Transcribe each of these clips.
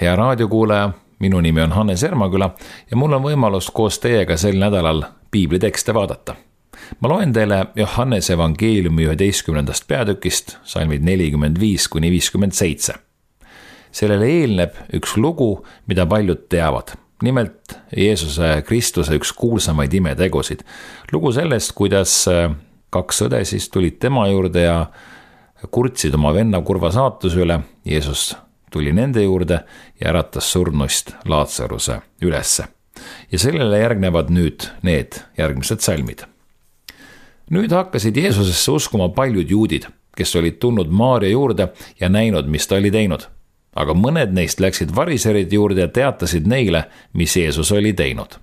Hea raadiokuulaja, minu nimi on Hannes Ermaküla ja mul on võimalus koos teiega sel nädalal piiblitekste vaadata. Ma loen teile Johannese evangeeliumi 11. peatükist, salmid 45-57. Sellele eelneb üks lugu, mida paljud teavad. Nimelt Jeesuse Kristuse üks kuulsamaid imetegusid. Lugu sellest, kuidas kaks õde siis tulid tema juurde ja kurtsid oma venna kurva saatuse üle. Jeesus tuli nende juurde ja äratas surnust Laatsaruse ülesse. Ja sellele järgnevad nüüd need järgmised salmid. Nüüd hakkasid Jeesusesse uskuma paljud juudid, kes olid tulnud Maaria juurde ja näinud, mis ta oli teinud. Aga mõned neist läksid variserid juurde ja teatasid neile, mis Jeesus oli teinud.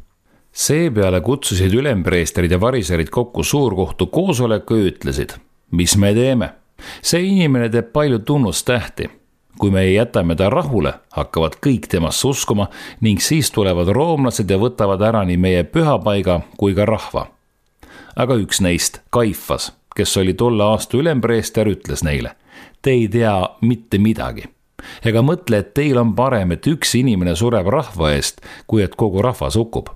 Seepeale kutsusid ülempreesterid ja variserid kokku suurkohtu koosoleku ja ütlesid, mis me teeme? See inimene teeb palju tunnustähti. Kui me ei jätame ta rahule, hakkavad kõik temast uskuma ning siis tulevad roomlased ja võtavad ära nii meie pühapaiga kui ka rahva. Aga üks neist, Kaifas, kes oli tolle aasta ülempreester, ütles neile, te ei tea mitte midagi. Ega mõtle, et teil on parem, et üks inimene sureb rahva eest, kui et kogu rahvas hukkub.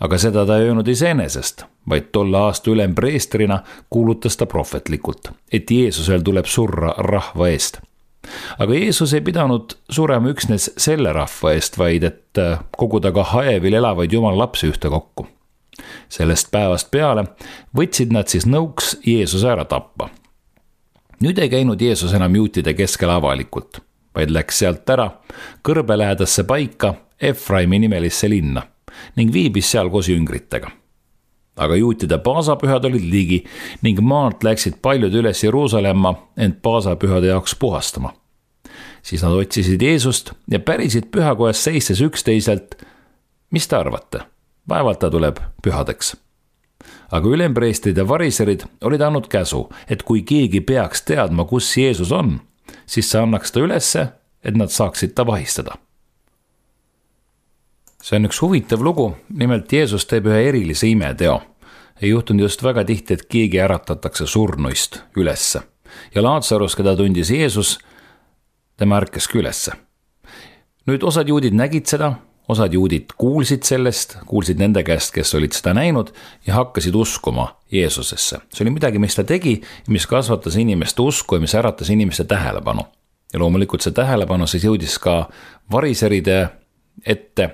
Aga seda ta ei öelnud iseenesest, vaid tolle aasta ülempreestrina kuulutas ta prohvetlikult, et Jeesusel tuleb surra rahva eest. Aga Jeesus ei pidanud surema üksnes selle rahva eest, vaid et koguda ka haevil elavaid jumala lapsi ühte kokku. Sellest päevast peale võtsid nad siis nõuks Jeesuse ära tappa. Nüüd ei käinud Jeesus enam juutide keskel avalikult, vaid läks sealt ära kõrbelähedasse paika Efraimi nimelisse linna ning viibis seal koos jüngritega. Aga juutide paasapühad olid ligi ning maalt läksid paljud üles Jeruusalemma end paasapühade jaoks puhastama. Siis nad otsisid Jeesust ja pärisid pühakojas seistes üksteiselt, mis te arvate? Vaevalt ta tuleb pühadeks. Aga ülempreestrid ja variserid olid andnud käsu, et kui keegi peaks teadma, kus Jeesus on, siis see annaks ta ülesse, et nad saaksid ta vahistada. See on üks huvitav lugu, nimelt Jeesus teeb ühe erilise imeteo. Ei juhtunud just väga tihti, et keegi äratatakse surnuist ülesse. Ja Laatsarus, keda tundis Jeesus, tema ärkaski ülesse. Nüüd osad juudid nägid seda, osad juudid kuulsid sellest, kuulsid nende käest, kes olid seda näinud ja hakkasid uskuma Jeesusesse. See oli midagi, mis ta tegi, mis kasvatas inimeste usku ja mis äratas inimeste tähelepanu. Ja loomulikult see tähelepanu siis jõudis ka variseride ette,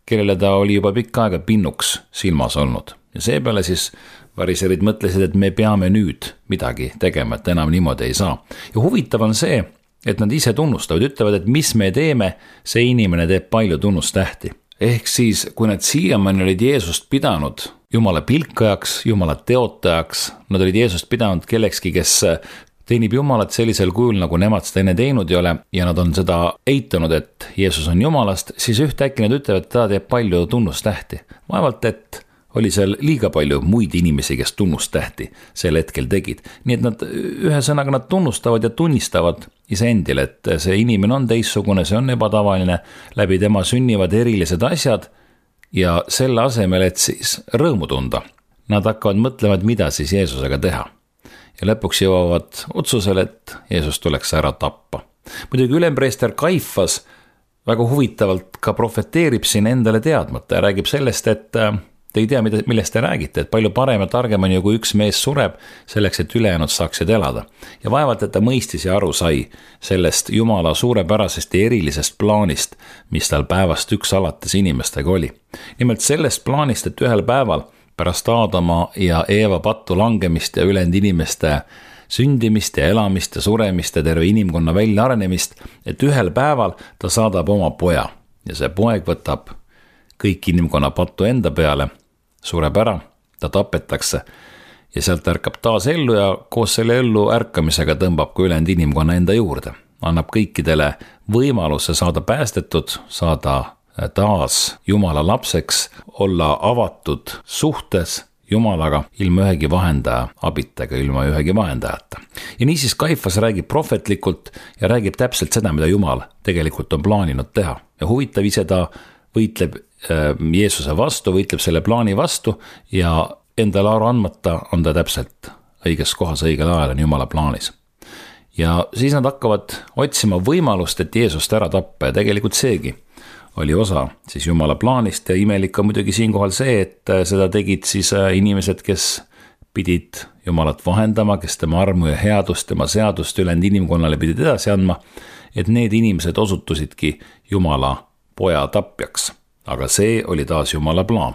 kellele ta oli juba pikka aega pinnuks silmas olnud. Ja seepeale siis variserid mõtlesid, et me peame nüüd midagi tegema, et enam niimoodi ei saa. Ja huvitav on see, et nad ise tunnustavad, ütlevad, et mis me teeme, see inimene teeb palju tunnustähti. Ehk siis, kui nad siiamaani olid Jeesust pidanud Jumala pilkajaks, Jumala teotajaks, nad olid Jeesust pidanud kellekski, kes teenib Jumalat sellisel kujul, nagu nemad seda enne teinud ei ole, ja nad on seda eitanud, et Jeesus on Jumalast, siis ühtäkki nad ütlevad, et ta teeb palju tunnustähti. Vaevalt, et oli seal liiga palju muid inimesi, kes tunnustähti sel hetkel tegid. Nii et nad ühesõnaga nad tunnustavad ja tunnistavad iseendile, et see inimene on teissugune, see on ebatavaline, läbi tema sünnivad erilised asjad ja selle asemel, et siis rõõmu tunda, nad hakkavad mõtlema, et mida siis Jeesusega teha. Ja lõpuks jõuavad otsusele, et Jeesus tuleks ära tappa. Muidugi ülempreester Kaifas väga huvitavalt ka profeteerib siin endale teadmata ja räägib sellest, et te ei tea, millest te räägite, et palju parem ja targem on ju, kui üks mees sureb selleks, et ülejäänud saaksid elada. Ja vaevalt, et ta mõistis ja aru sai sellest Jumala suurepärasest ja erilisest plaanist, mis tal päevast üks alates inimestega oli. Nimelt sellest plaanist, et ühel päeval pärast Aadama ja Eeva pattu langemist ja ülejäänud inimeste sündimist ja elamist ja suremist ja terve inimkonna välja arenemist, et ühel päeval ta saadab oma poja ja see poeg võtab kõik inimkonna pattu enda peale, sureb ära, ta tapetakse ja sealt ärkab taas ellu ja koos selle ellu ärkamisega tõmbab ka ülejäänud inimkonna enda juurde. Annab kõikidele võimaluse saada päästetud, saada taas Jumala lapseks, olla avatud suhtes Jumalaga ilma ühegi vahendaja abitega, ilma ühegi vahendajata. Ja niisiis Kaifas räägib prohvetlikult ja räägib täpselt seda, mida Jumal tegelikult on plaaninud teha. Ja huvitav, ise ta võitleb Jeesuse vastu, võitleb selle plaani vastu ja endale aru andmata on ta täpselt õiges kohas õigel ajal on Jumala plaanis. Ja siis nad hakkavad otsima võimalust, et Jeesust ära tappa ja tegelikult seegi oli osa siis Jumala plaanist ja imelik on muidugi siinkohal see, et seda tegid siis inimesed, kes pidid Jumalat vahendama, kes tema armu ja headust, tema seadust ülejäänud inimkonnale pidid edasi andma, et need inimesed osutusidki Jumala poja tapjaks. Aga see oli taas Jumala plaan.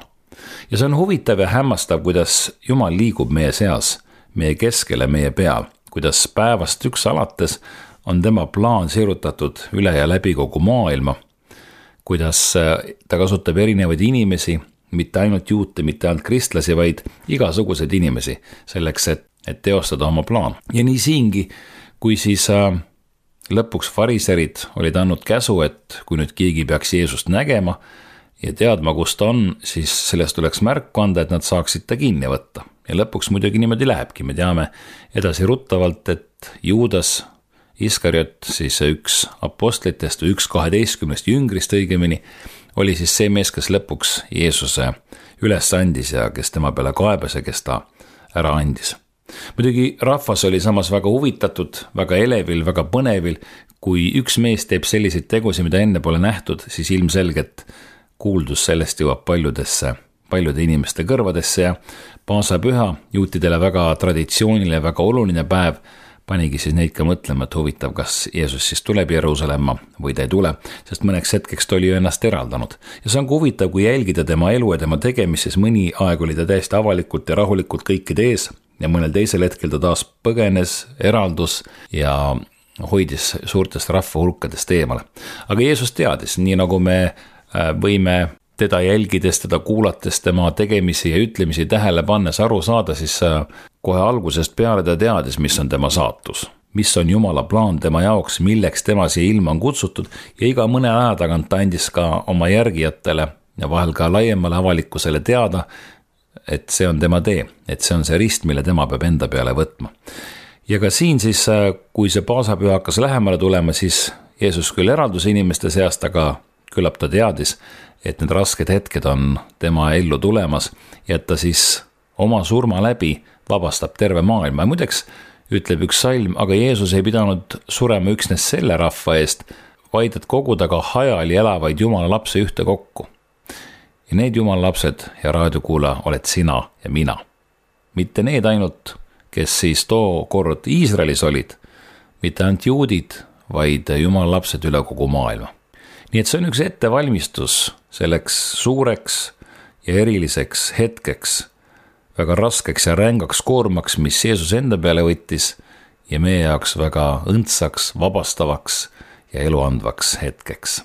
Ja see on huvitav ja hämmastav, kuidas Jumal liigub meie seas, meie keskele, meie peal, kuidas päevast üks alates on tema plaan sirutatud üle ja läbi kogu maailma, kuidas ta kasutab erinevaid inimesi, mitte ainult juute, mitte ainult kristlasi, vaid igasuguseid inimesi selleks, et teostada oma plaan. Ja nii siingi, kui siis lõpuks fariserid olid andnud käsu, et kui nüüd keegi peaks Jeesust nägema ja teadma, kus ta on, siis sellest tuleks märku anda, et nad saaksid ta kinni võtta. Ja lõpuks muidugi niimoodi lähebki. Me teame edasi ruttavalt, et Juudas Iskariot, siis üks apostlitest või üks 12 jüngrist õigemini, oli siis see mees, kes lõpuks Jeesuse üles andis ja kes tema peale kaebas ja kes ta ära andis. Muidugi rahvas oli samas väga huvitatud, väga elevil, väga põnevil. Kui üks mees teeb selliseid tegusi, mida enne pole nähtud, siis ilmselgelt kuuldus sellest jõuab paljude inimeste kõrvadesse ja paasapüha, juutidele väga traditsioonile, väga oluline päev, panigi siis neid ka mõtlema, et huvitav, kas Jeesus siis tuleb Jeruusalemma või ta ei tule, sest mõneks hetkeks ta oli ju ennast eraldanud. Ja see on ka huvitav, kui jälgida tema elu ja tema tegemist, siis mõni aeg oli ta täiesti avalikult ja rahulikult kõikide ees ja mõnel teisel hetkel ta taas põgenes, eraldus ja hoidis suurtest rahvahulkadest eemale. Aga Jeesus teadis, nii nagu me võime teda jälgides, teda kuulates, tema tegemisi ja ütlemisi tähele pannes aru saada, siis kohe algusest peale ta teadis, mis on tema saatus, mis on Jumala plaan tema jaoks, milleks tema siia ilma on kutsutud ja iga mõne aja tagant ta andis ka oma järgijatele ja vahel ka laiemale avalikkusele teada, et see on tema tee, et see on see rist, mille tema peab enda peale võtma. Ja ka siin siis, kui see paasapüha hakkas lähemale tulema, siis Jeesus küll eraldus inimeste seast, aga küllap ta teadis, et need rasked hetked on tema ellu tulemas ja et ta siis oma surma läbi vabastab terve maailma. Ja muideks ütleb üks salm, aga Jeesus ei pidanud surema üksnes selle rahva eest, vaid et koguda ka hajali elavaid Jumala lapse ühte kokku. Ja need Jumala lapsed, ja raadiokuula, oled sina ja mina. Mitte need ainult, kes siis tookord Iisraelis olid, mitte ainult juudid, vaid Jumala lapsed üle kogu maailma. Nii et see on üks ettevalmistus selleks suureks ja eriliseks hetkeks, väga raskeks ja rängaks koormaks, mis Jeesus enda peale võttis ja meie jaoks väga õndsaks, vabastavaks ja eluandvaks hetkeks.